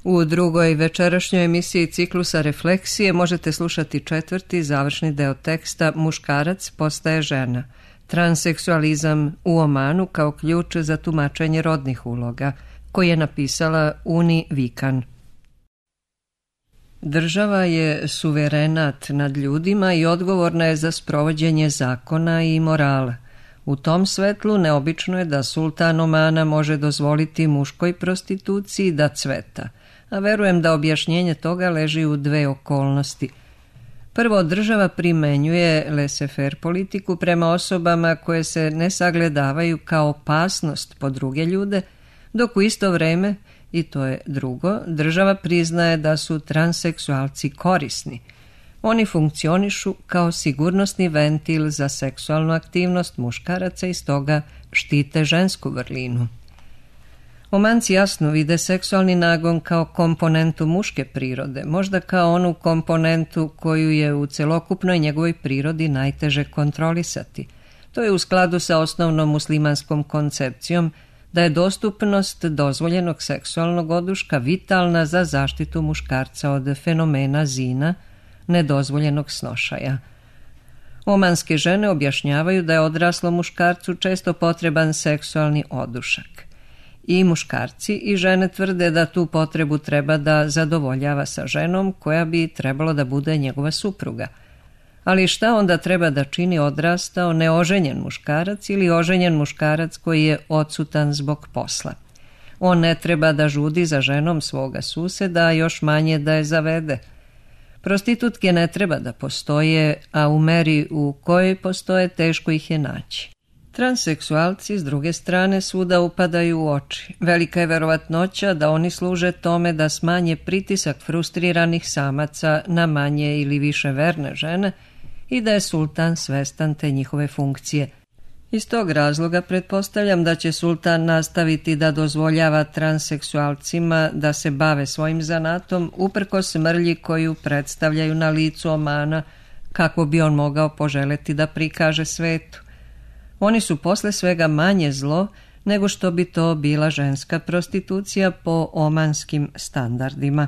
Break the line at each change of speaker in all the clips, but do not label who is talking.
U drugoj večerašnjoj emisiji ciklusa Refleksije možete slušati 4. završni deo teksta Muškarac postaje žena. Transseksualizam u Omanu kao ključ za tumačenje rodnih uloga, koji je napisala Uni Vikan. Država je suverenat nad ljudima i odgovorna je za sprovođenje zakona i morala. U tom svetlu neobično je da sultan Omana može dozvoliti muškoj prostituciji da cveta, a verujem da objašnjenje toga leži u dve okolnosti. Prvo, država primenjuje laissez-faire politiku prema osobama koje se ne sagledavaju kao opasnost po druge ljude, dok u isto vreme, i to je drugo, država priznaje da su transseksualci korisni. Oni funkcionišu kao sigurnosni ventil za seksualnu aktivnost muškaraca i stoga štite žensku vrlinu. Omanci jasno vide seksualni nagon kao komponentu muške prirode, možda kao onu komponentu koju je u celokupnoj njegovoj prirodi najteže kontrolisati. To je u skladu sa osnovnom muslimanskom koncepcijom da je dostupnost dozvoljenog seksualnog oduška vitalna za zaštitu muškarca od fenomena zina, nedozvoljenog snošaja. Omanske žene objašnjavaju da je odraslom muškarcu često potreban seksualni odušak. I muškarci i žene tvrde da tu potrebu treba da zadovoljava sa ženom koja bi trebalo da bude njegova supruga. Ali šta onda treba da čini odrastao neoženjen muškarac ili oženjen muškarac koji je odsutan zbog posla? On ne treba da žudi za ženom svoga suseda, a još manje da je zavede. Prostitutke ne treba da postoje, a u meri u kojoj postoje teško ih je naći. Transseksualci, s druge strane, svuda upadaju u oči. Velika je verovatnoća da oni služe tome da smanje pritisak frustriranih samaca na manje ili više verne žene i da je sultan svestan te njihove funkcije. Iz tog razloga pretpostavljam da će sultan nastaviti da dozvoljava transseksualcima da se bave svojim zanatom uprkos mrlji koju predstavljaju na licu Omana, kako bi on mogao poželeti da prikaže svetu. Oni su posle svega manje zlo nego što bi to bila ženska prostitucija po omanskim standardima.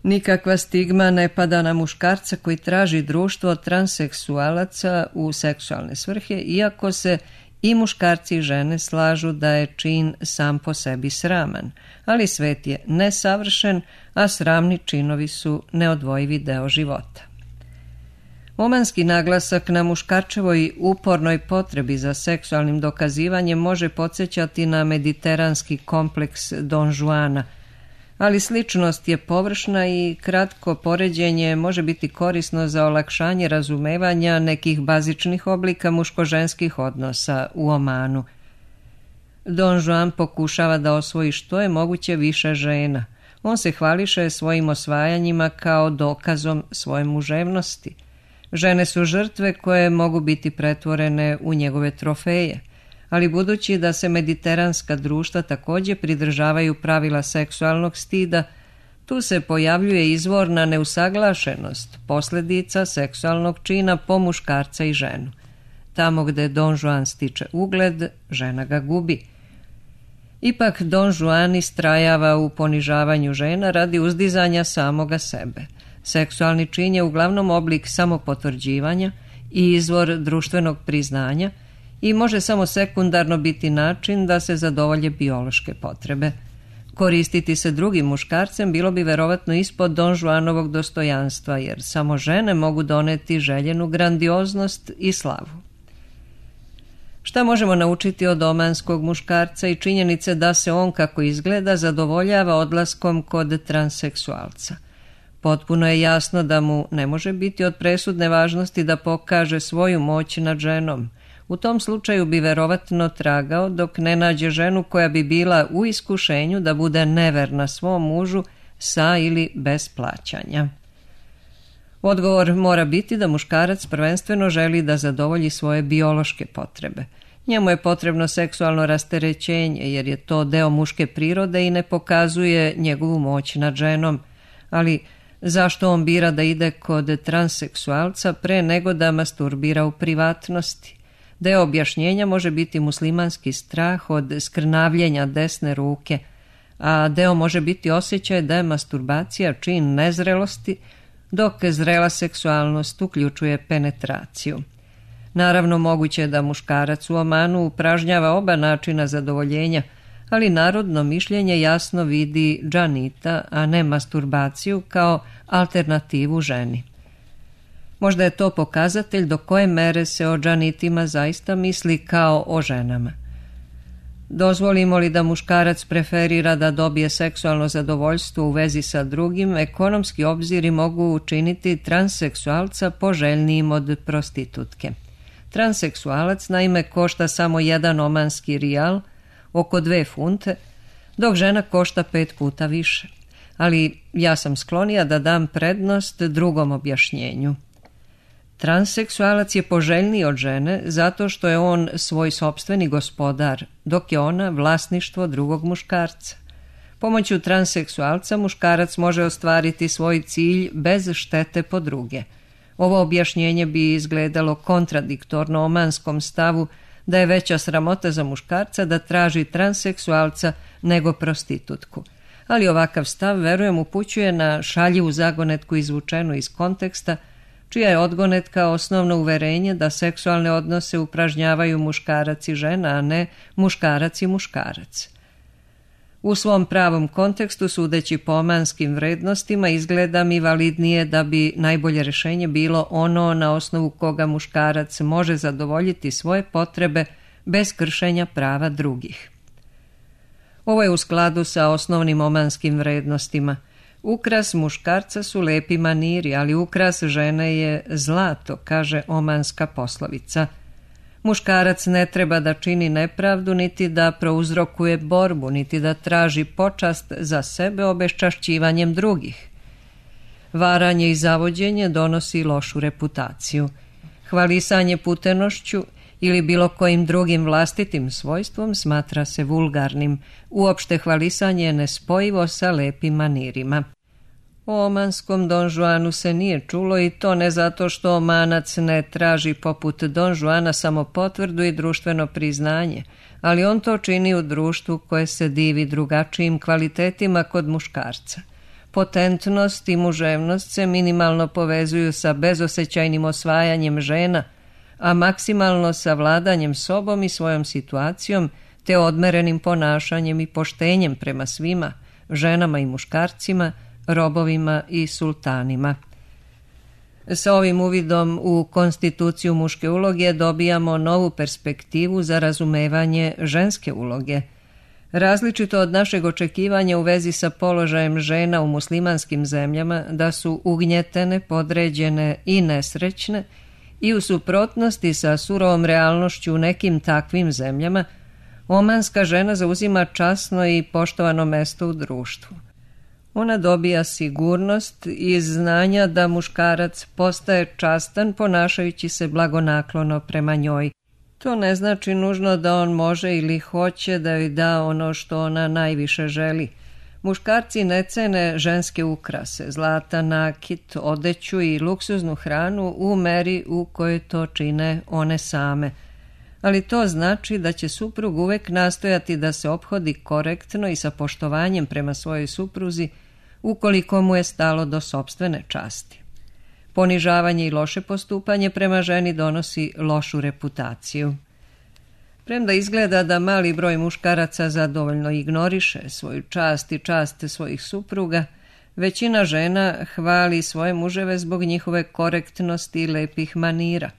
Nikakva stigma ne pada na muškarca koji traži društvo od transseksualaca u seksualne svrhe, iako se i muškarci i žene slažu da je čin sam po sebi sraman, ali svet je nesavršen, a sramni činovi su neodvojivi deo života. Omanski naglasak na muškarčevoj upornoj potrebi za seksualnim dokazivanjem može podsjećati na mediteranski kompleks Don Juana, ali sličnost je površna i kratko poređenje može biti korisno za olakšanje razumevanja nekih bazičnih oblika muško-ženskih odnosa u Omanu. Don Juan pokušava da osvoji što je moguće više žena. On se hvališe svojim osvajanjima kao dokazom svoje muževnosti. Žene su žrtve koje mogu biti pretvorene u njegove trofeje, ali budući da se mediteranska društva također pridržavaju pravila seksualnog stida, tu se pojavljuje izvorna neusaglašenost posljedica seksualnog čina po muškarca i ženu. Tamo gde Don Juan stiče ugled, žena ga gubi. Ipak Don Juan istrajava u ponižavanju žena radi uzdizanja samoga sebe. Seksualni čin je uglavnom oblik samopotvrđivanja i izvor društvenog priznanja i može samo sekundarno biti način da se zadovolje biološke potrebe. Koristiti se drugim muškarcem bilo bi verovatno ispod Don Juanovog dostojanstva, jer samo žene mogu doneti željenu grandioznost i slavu. Šta možemo naučiti od omanskog muškarca i činjenice da se on, kako izgleda, zadovoljava odlaskom kod transseksualca? Potpuno je jasno da mu ne može biti od presudne važnosti da pokaže svoju moć nad ženom. U tom slučaju bi verovatno tragao dok ne nađe ženu koja bi bila u iskušenju da bude neverna svom mužu sa ili bez plaćanja. Odgovor mora biti da muškarac prvenstveno želi da zadovolji svoje biološke potrebe. Njemu je potrebno seksualno rasterećenje jer je to deo muške prirode i ne pokazuje njegovu moć nad ženom, ali zašto on bira da ide kod transseksualca pre nego da masturbira u privatnosti? Deo objašnjenja može biti muslimanski strah od skrnavljenja desne ruke, a deo može biti osjećaj da je masturbacija čin nezrelosti, dok zrela seksualnost uključuje penetraciju. Naravno, moguće je da muškarac u Omanu upražnjava oba načina zadovoljenja, ali narodno mišljenje jasno vidi džanita, a ne masturbaciju kao alternativu ženi. Možda je to pokazatelj do koje mere se o džanitima zaista misli kao o ženama. Dozvolimo li da muškarac preferira da dobije seksualno zadovoljstvo u vezi sa drugim, ekonomski obziri mogu učiniti transseksualca poželjnijim od prostitutke. Transseksualac naime košta samo 1 omanski rijal, oko 2 funte, dok žena košta 5 puta više. Ali ja sam sklonija da dam prednost drugom objašnjenju. Transseksualac je poželjniji od žene zato što je on svoj sopstveni gospodar, dok je ona vlasništvo drugog muškarca. Pomoću transseksualca muškarac može ostvariti svoj cilj bez štete po druge. Ovo objašnjenje bi izgledalo kontradiktorno omanskom stavu da je veća sramota za muškarca da traži transseksualca nego prostitutku. Ali ovakav stav, verujem, upućuje na šaljivu zagonetku izvučenu iz konteksta, čija je odgonetka osnovno uverenje da seksualne odnose upražnjavaju muškarac i žena, a ne muškarac i muškarac. U svom pravom kontekstu, sudeći po omanskim vrednostima, izgleda mi validnije da bi najbolje rješenje bilo ono na osnovu koga muškarac može zadovoljiti svoje potrebe bez kršenja prava drugih. Ovo je u skladu sa osnovnim omanskim vrednostima. Ukras muškarca su lepi maniri, ali ukras žene je zlato, kaže omanska poslovica. Muškarac ne treba da čini nepravdu, niti da prouzrokuje borbu, niti da traži počast za sebe obeščašćivanjem drugih. Varanje i zavođenje donosi lošu reputaciju. Hvalisanje putenošću ili bilo kojim drugim vlastitim svojstvom smatra se vulgarnim. Uopšte hvalisanje je nespojivo sa lepim manirima. O omanskom Don Juanu se nije čulo, i to ne zato što Omanac ne traži poput Don Juana samo potvrdu i društveno priznanje, ali on to čini u društvu koje se divi drugačijim kvalitetima kod muškarca. Potentnost i muževnost se minimalno povezuju sa bezosećajnim osvajanjem žena, a maksimalno sa vladanjem sobom i svojom situacijom, te odmerenim ponašanjem i poštenjem prema svima, ženama i muškarcima, robovima i sultanima. Sa ovim uvidom u konstituciju muške uloge dobijamo novu perspektivu za razumevanje ženske uloge. Različito od našeg očekivanja u vezi sa položajem žena u muslimanskim zemljama, da su ugnjetene, podređene i nesrećne, i u suprotnosti sa surovom realnošću u nekim takvim zemljama, omanska žena zauzima časno i poštovano mesto u društvu. Ona dobija sigurnost iz znanja da muškarac postaje častan ponašajući se blagonaklono prema njoj. To ne znači nužno da on može ili hoće da joj da ono što ona najviše želi. Muškarci ne cene ženske ukrase, zlata, nakit, odeću i luksuznu hranu u meri u kojoj to čine one same. Ali to znači da će suprug uvek nastojati da se ophodi korektno i sa poštovanjem prema svojoj supruzi, ukoliko mu je stalo do sopstvene časti. Ponižavanje i loše postupanje prema ženi donosi lošu reputaciju. Premda izgleda da mali broj muškaraca zadovoljno ignoriše svoju čast i čast svojih supruga, većina žena hvali svoje muževe zbog njihove korektnosti i lepih manira.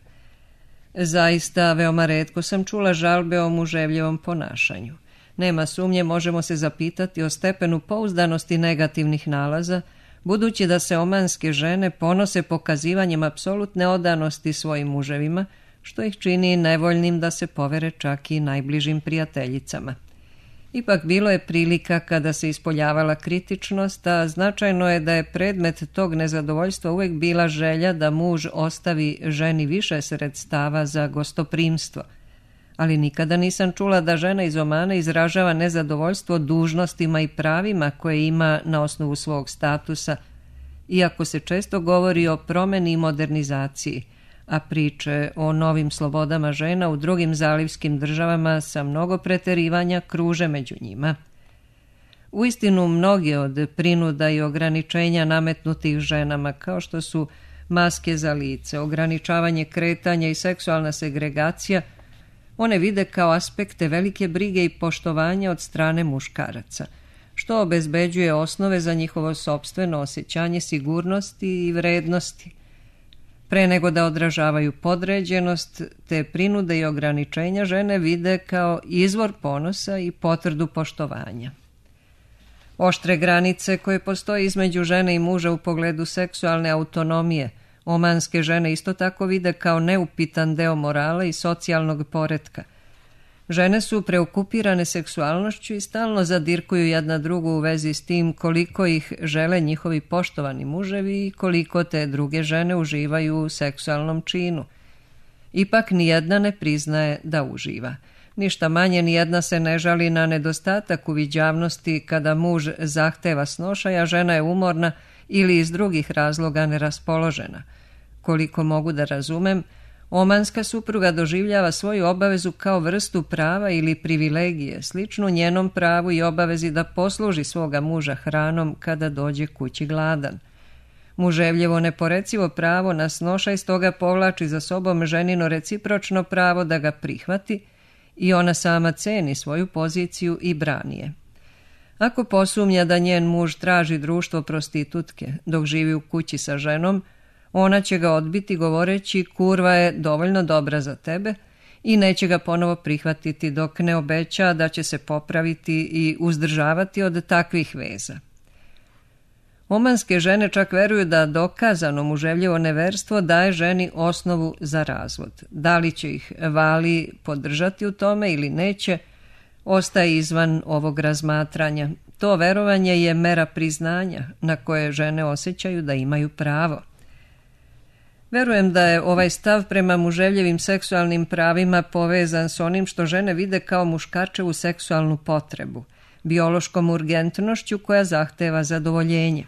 Zaista, veoma retko sam čula žalbe o muževljevom ponašanju. Nema sumnje, možemo se zapitati o stepenu pouzdanosti negativnih nalaza, budući da se omanske žene ponose pokazivanjem apsolutne odanosti svojim muževima, što ih čini nevoljnim da se povere čak i najbližim prijateljicama. Ipak bilo je prilika kada se ispoljavala kritičnost, a značajno je da je predmet tog nezadovoljstva uvijek bila želja da muž ostavi ženi više sredstava za gostoprimstvo. Ali nikada nisam čula da žena iz Omana izražava nezadovoljstvo dužnostima i pravima koje ima na osnovu svog statusa, iako se često govori o promeni i modernizaciji, a priče o novim slobodama žena u drugim zalivskim državama sa mnogo preterivanja kruže među njima. Uistinu mnoge od prinuda i ograničenja nametnutih ženama, kao što su maske za lice, ograničavanje kretanja i seksualna segregacija, one vide kao aspekte velike brige i poštovanja od strane muškaraca, što obezbeđuje osnove za njihovo sopstveno osjećanje sigurnosti i vrednosti. Pre nego da odražavaju podređenost, te prinude i ograničenja žene vide kao izvor ponosa i potvrdu poštovanja. Oštre granice koje postoje između žene i muža u pogledu seksualne autonomije omanske žene isto tako vide kao neupitan deo morala i socijalnog poretka. Žene su preokupirane seksualnošću i stalno zadirkuju jedna drugu u vezi s tim koliko ih žele njihovi poštovani muževi i koliko te druge žene uživaju u seksualnom činu. Ipak nijedna ne priznaje da uživa. Ništa manje nijedna se ne žali na nedostatak uviđavnosti kada muž zahteva snošaj, a žena je umorna ili iz drugih razloga neraspoložena. Koliko mogu da razumem, omanska supruga doživljava svoju obavezu kao vrstu prava ili privilegije, sličnu njenom pravu i obavezi da posluži svoga muža hranom kada dođe kući gladan. Muževljevo neporecivo pravo na snošaj stoga povlači za sobom ženino recipročno pravo da ga prihvati i ona sama ceni svoju poziciju i brani je. Ako posumnja da njen muž traži društvo prostitutke dok živi u kući sa ženom, ona će ga odbiti govoreći kurva je dovoljno dobra za tebe i neće ga ponovo prihvatiti dok ne obeća da će se popraviti i uzdržavati od takvih veza. Omanske žene čak veruju da dokazano muževljevo neverstvo daje ženi osnovu za razvod. Da li će ih vali podržati u tome ili neće, ostaje izvan ovog razmatranja. To verovanje je mera priznanja na koje žene osjećaju da imaju pravo. Verujem da je ovaj stav prema muževljevim seksualnim pravima povezan s onim što žene vide kao muškarčevu seksualnu potrebu, biološkom urgentnošću koja zahteva zadovoljenje.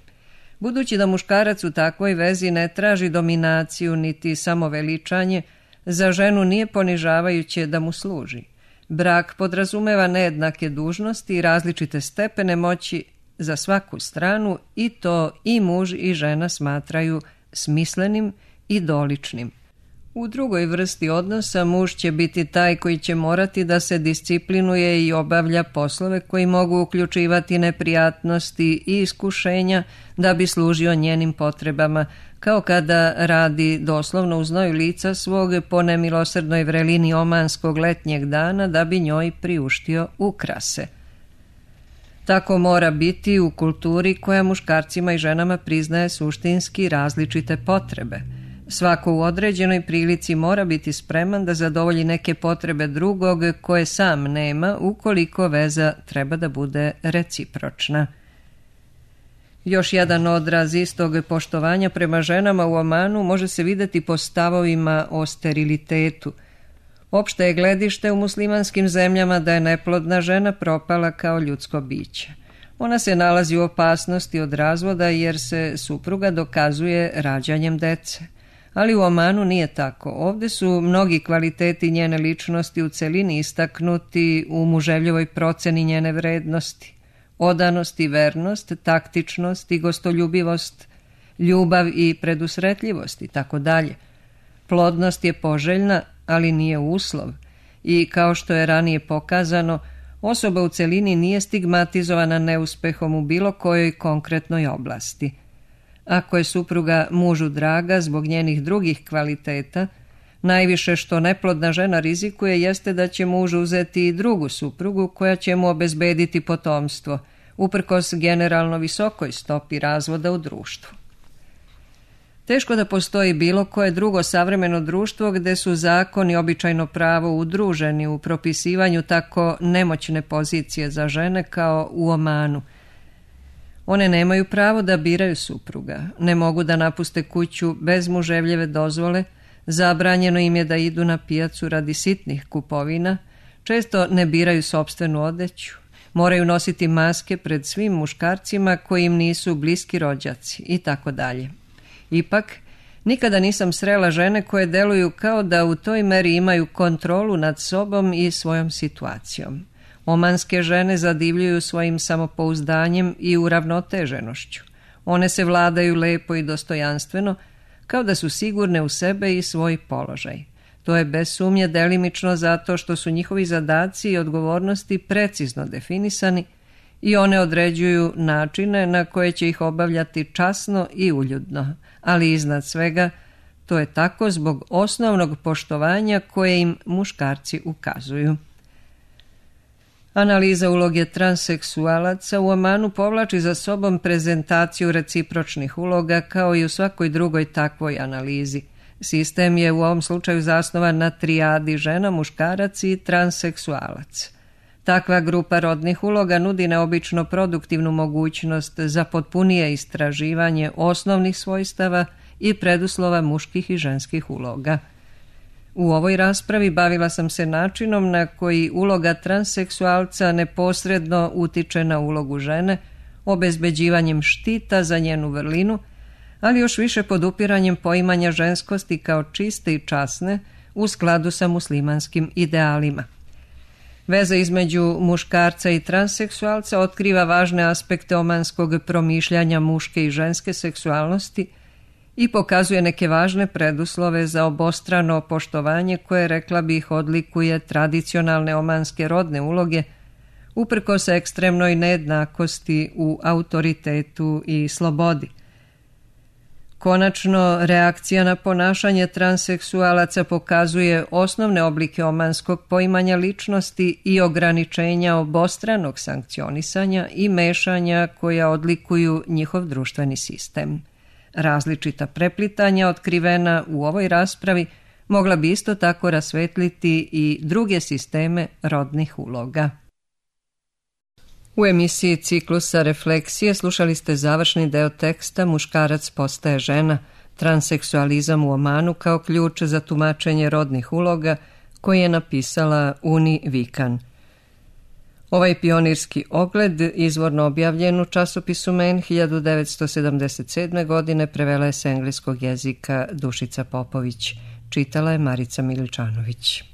Budući da muškarac u takvoj vezi ne traži dominaciju niti samoveličanje, za ženu nije ponižavajuće da mu služi. Brak podrazumeva nejednake dužnosti i različite stepene moći za svaku stranu i to i muž i žena smatraju smislenim i doličnim. U drugoj vrsti odnosa muž će biti taj koji će morati da se disciplinuje i obavlja poslove koji mogu uključivati neprijatnosti i iskušenja da bi služio njenim potrebama, kao kada radi doslovno u znoju lica svog po nemilosrdnoj vrelini omanskog letnjeg dana da bi njoj priuštio ukrase. Tako mora biti u kulturi koja muškarcima i ženama priznaje suštinski različite potrebe. Svako u određenoj prilici mora biti spreman da zadovolji neke potrebe drugog koje sam nema, ukoliko veza treba da bude recipročna. Još jedan odraz istog poštovanja prema ženama u Omanu može se videti po stavovima o sterilitetu. Opšte je gledište u muslimanskim zemljama da je neplodna žena propala kao ljudsko biće. Ona se nalazi u opasnosti od razvoda jer se supruga dokazuje rađanjem dece. Ali u Omanu nije tako. Ovde su mnogi kvaliteti njene ličnosti u celini istaknuti u muževljevoj proceni njene vrednosti. Odanost i vernost, taktičnost i gostoljubivost, ljubav i predusretljivost i tako dalje. Plodnost je poželjna, ali nije uslov i kao što je ranije pokazano, osoba u celini nije stigmatizovana neuspehom u bilo kojoj konkretnoj oblasti. Ako je supruga mužu draga zbog njenih drugih kvaliteta, najviše što neplodna žena rizikuje jeste da će muž uzeti i drugu suprugu koja će mu obezbediti potomstvo, uprkos generalno visokoj stopi razvoda u društvu. Teško da postoji bilo koje drugo savremeno društvo gde su zakon i običajno pravo udruženi u propisivanju tako nemoćne pozicije za žene kao u Omanu. One nemaju pravo da biraju supruga, ne mogu da napuste kuću bez muževljeve dozvole, zabranjeno im je da idu na pijacu radi sitnih kupovina, često ne biraju sopstvenu odeću, moraju nositi maske pred svim muškarcima koji im nisu bliski rođaci i tako dalje. Ipak, nikada nisam srela žene koje deluju kao da u toj meri imaju kontrolu nad sobom i svojom situacijom. Omanske žene zadivljuju svojim samopouzdanjem i uravnoteženošću. One se vladaju lepo i dostojanstveno, kao da su sigurne u sebe i svoj položaj. To je bez sumnje delimično zato što su njihovi zadaci i odgovornosti precizno definisani i one određuju načine na koje će ih obavljati časno i uljudno, ali iznad svega to je tako zbog osnovnog poštovanja koje im muškarci ukazuju. Analiza uloge transseksualaca u Omanu povlači za sobom prezentaciju recipročnih uloga kao i u svakoj drugoj takvoj analizi. Sistem je u ovom slučaju zasnovan na trijadi žena, muškarac i transseksualac. Takva grupa rodnih uloga nudi neobično produktivnu mogućnost za potpunije istraživanje osnovnih svojstava i preduslova muških i ženskih uloga. U ovoj raspravi bavila sam se načinom na koji uloga transseksualca neposredno utiče na ulogu žene, obezbeđivanjem štita za njenu vrlinu, ali još više podupiranjem poimanja ženskosti kao čiste i časne u skladu sa muslimanskim idealima. Veza između muškarca i transseksualca otkriva važne aspekte omanskog promišljanja muške i ženske seksualnosti i pokazuje neke važne preduslove za obostrano poštovanje koje, rekla bih, odlikuje tradicionalne omanske rodne uloge, uprkos ekstremnoj nejednakosti u autoritetu i slobodi. Konačno, reakcija na ponašanje transseksualaca pokazuje osnovne oblike omanskog poimanja ličnosti i ograničenja obostranog sankcionisanja i mešanja koja odlikuju njihov društveni sistem. Različita preplitanja otkrivena u ovoj raspravi mogla bi isto tako rasvetliti i druge sisteme rodnih uloga. U emisiji Ciklusa refleksije slušali ste završni deo teksta Muškarac postaje žena, transseksualizam u Omanu kao ključ za tumačenje rodnih uloga, koji je napisala Uni Vikan. Ovaj pionirski ogled, izvorno objavljen u časopisu Men 1977. godine, prevela je s engleskog jezika Dušica Popović. Čitala je Marica Miličanović.